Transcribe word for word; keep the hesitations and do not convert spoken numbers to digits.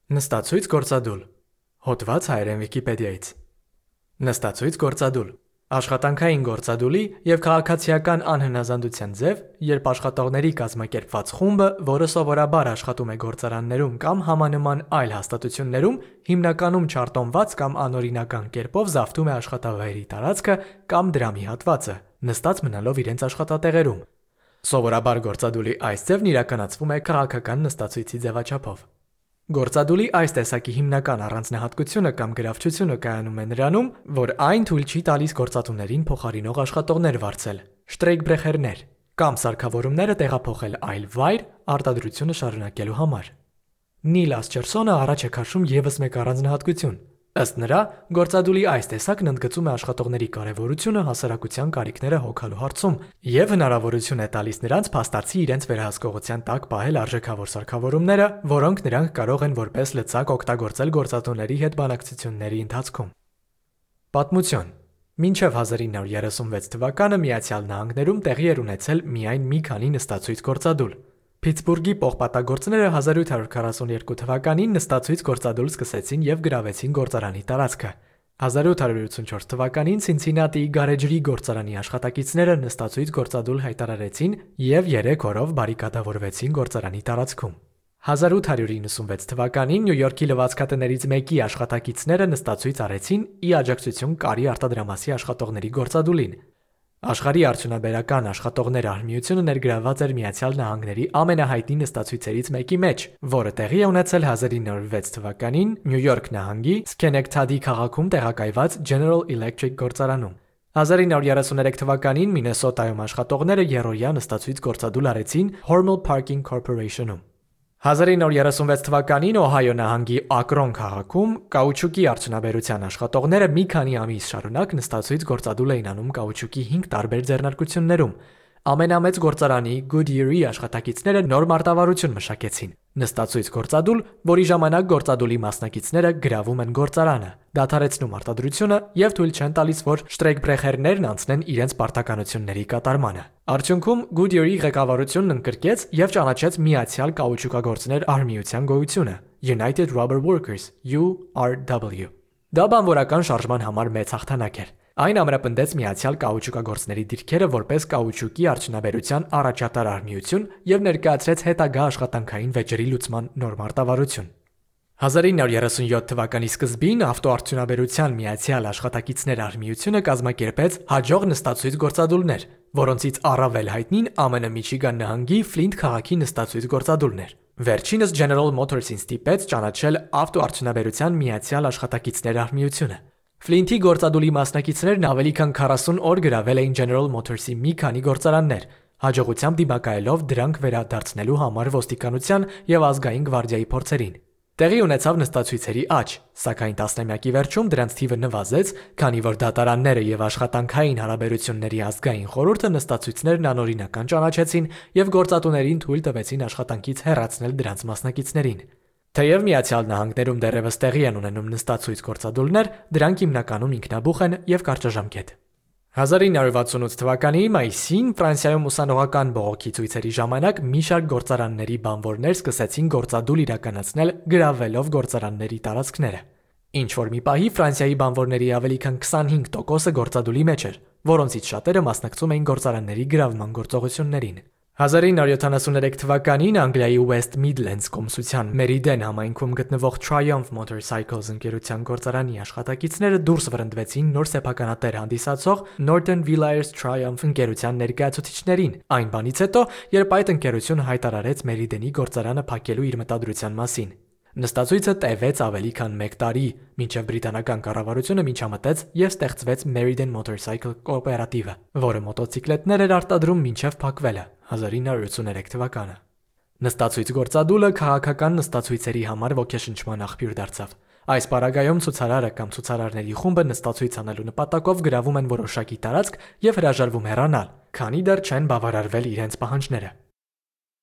Նստացույց գործադուլ։ Հոդված հայերեն Վիկիպեդիայից։ Նստացույց գործադուլ։ Աշխատանքային գործադուլի և քաղաքացիական անհնազանդության ձև, երբ աշխատողների կազմակերպված խումբը, որը սովորաբար աշխատում է գործարաններում կամ համանման այլ հաստատություններում, հիմնականում չարտոնված կամ անօրինական կերպով զավթում է աշխատավայրի տարածքը կամ դրա մի հատվածը, նստած մնալով իրենց աշխատատեղերում։ Սովորաբար գործադուլի այս ձևն իրականացվում է քաղաքական նստացույցի ձևաչափով։ Գործադուլի այս տեսակի հիմնական առանձնահատկությունը կամ գրավչությունը կայանում է նրանում, որ այն թույլ չի տալիս գործատուներին փոխարինող աշխատողներ վարձել, շտրեյքբրեխերներ, կամ սարքավորումները տեղափոխել այլ վայր արտադրությունը շարունակելու համար։ Նիլ Ասչերսոնը առաջ է քաշում ևս մեկ առանձնահատկություն։ Ըստ նրա, գործադուլի այս տեսակն ընդգծում է աշխատողների կարևորությունը հասարակության կարիքները հոգալու հարցում և հնարավորություն է տալիս նրանց փաստացի իրենց վերահսկողության տակ պահել արժեքավոր սարքավորումները, որոնք նրանք կարող են որպես լծակ օգտագործել գործատուների հետ բանակցությունների ընթացքում։ Պատմություն։ Մինչև հազար ինը հարյուր երեսունվեց թվականը Միացյալ Նահանգներում տեղի էր ունեցել միայն մի քանի նստացույց գործադուլ։ Փիթսբուրգի պողպատագործները հազար ութ հարյուր քառասունյոթ թվականին նստացույց գործադուլ սկսեցին և գրավեցին գործարանի տարածքը։ հազար ութ հարյուր ութսունչորդ թվականին Ցինցինատիի գարեջրի գործարանի աշխատակիցները նստացույց գործադուլ հայտարարեցին և երեք օրով բարիկադավորվեցին գործարանի տարածքում։ հազար ութ հարյուր իննսունվեց թվականին Նյու Յորքի լվացքատներից մեկի աշխատակիցները նստացույց արեցին ի աջակցություն կարի արտադրամասի աշխատողների գործադուլին։ Աշխարհի արդյունաբերական աշխատողներ արհմիությունը ներգրավված էր Միացյալ Նահանգների ամենահայտնի նստացույցերից մեկի մեջ, որը տեղի է ունեցել հազար ինը հարյուր վեց թվականին Նյու Յորք նահանգի Սքենեկթադի քաղաքում տեղակայված General Electric գործարանում։ հազար ինը հարյուր երեսուներեք թվականին Մինեսոտայում աշխատողները եռօրյա նստացույց գործադուլ արեցին Hormel Parking Corporation-ում։ հազար ինը հարյուր երեսունվեց թվականին Օհայո նահանգի Ակրոն քաղաքում կաուչուկի արդյունաբերության աշխատողները մի քանի ամիս շարունակ նստացույց գործադուլ էին անում կաուչուկի հինգ տարբեր ձեռնարկություններում։ Ամենամեծ գործարանի Goodyear-ի աշխատակիցները նոր մարտավարություն մշակեցին՝ նստացույց գործադուլ, որի ժամանակ գործադուլի մասնակիցները գրավում են գործարանը, դադարեցնում արտադրությունը և թույլ չեն տալիս, որ շտրեյքբրեխերներն անցնեն իրենց պարտականությունների կատարմանը։ Արդյունքում Goodyear-ի ղեկավարությունն ընկրկեց և ճանաչեց Միացյալ կաուչուկագործներ արհմիության գոյությունը United Rubber Workers (յու առ դաբլյու)։ Դա բանվորական շարժման համար մեծ հաղթանակ էր։ Այն ամրապնդեց Միացյալ կաուչուկագործների դիրքերը որպես կաուչուկի արդյունաբերության առաջատար արհմիություն և ներկայացրեց հետագա աշխատանքային վեճերի լուծման նոր մարտավարություն։ հազար ինը հարյուր երեսունյոթ թվականի սկզբին ավտոարդյունաբերության Միացյալ աշխատակիցներ արհմիությունը կազմակերպեց հաջող նստացույց գործադուլներ, որոնցից առավել հայտնին ԱՄՆ Միչիգան նահանգի Ֆլինտ քաղաքի նստացույց գործադուլն էր։ Վերջինս General Motors-ին ստիպեց ճանաչել ավտոարդյունաբերության Միացյալ աշխատակիցներ արհմիությունը։ Ֆլինթի գործադուլի մասնակիցներն ավելի քան քառասուն օր գրավել էին General Motors-ի մի քանի գործարաններ, հաջողությամբ դիմակայելով դրանք վերադարձնելու համար ոստիկանության և ազգային գվարդիայի փորձերին։ Տեղի ունեցավ նստացույցերի աճ, սակայն տասնամյակի վերջում դրանց թիվը նվազեց, քանի որ դատարանները և աշխատանքային հարաբերությունների ազգային խորհուրդը նստացույցներն անօրինական ճանաչեցին և գործատուներին թույլ տվեցին աշխատանքից հեռացնել դրանց մասնակիցներին։ Թեև Միացյալ Նահանգներում դեռևս տեղի են ունենում նստացույց գործադուլներ, դրանք հիմնականում ինքնաբուխ են և կարճաժամկետ։ հազար ինը հարյուր վաթսունութ թվականի մայիսին Ֆրանսիայում ուսանողական բողոքի ցույցերի ժամանակ մի շարք գործարանների բանվորներ սկսեցին գործադուլ իրականացնել գրավելով գործարանների տարածքները։ Ինչ-որ մի պահի Ֆրանսիայի բանվորների ավելի քան քսանհինգ տոկոսը գործադուլի մեջ էր, որոնցից շատերը մասնակցում էին գործարանների գրավման գործողություններին։ հազար ինը հարյուր յոթանասուներեք թվականին Անգլիայի West Midlands կոմսության Meriden համայնքում գտնվող Triumph Motorcycles ընկերության գործարանի աշխատակիցները դուրս վռնդվեցին նոր սեփականատեր հանդիսացող Norton Villiers Triumph ընկերության ներկայացուցիչներին, այն բանից հետո, երբ այդ ընկերությունը հայտարարեց Meriden-ի գործարանը փակելու իր մտադրության մասին։ Նստացույցը տևեց ավելի քան մեկ տարի, մինչև բրիտանական կառավարությունը միջամտեց և ստեղծվեց Meriden Motorcycle կոոպերատիվը, որը մոտոցիկլետներ էր արտադրում մինչև փակվելը հազար ինը հարյուր ութսուներեք թվականը։ Նստացույց գործադուլը քաղաքական նստացույցերի համար ոգեշնչման աղբյուր դարձավ։ Այս պարագայում ցուցարարը կամ ցուցարարների խումբը նստացույց անելու նպատակով գրավում են որոշակի տարածք և հրաժարվում հեռանալ, քանի դեռ չեն բավարարվել իրենց պահանջները։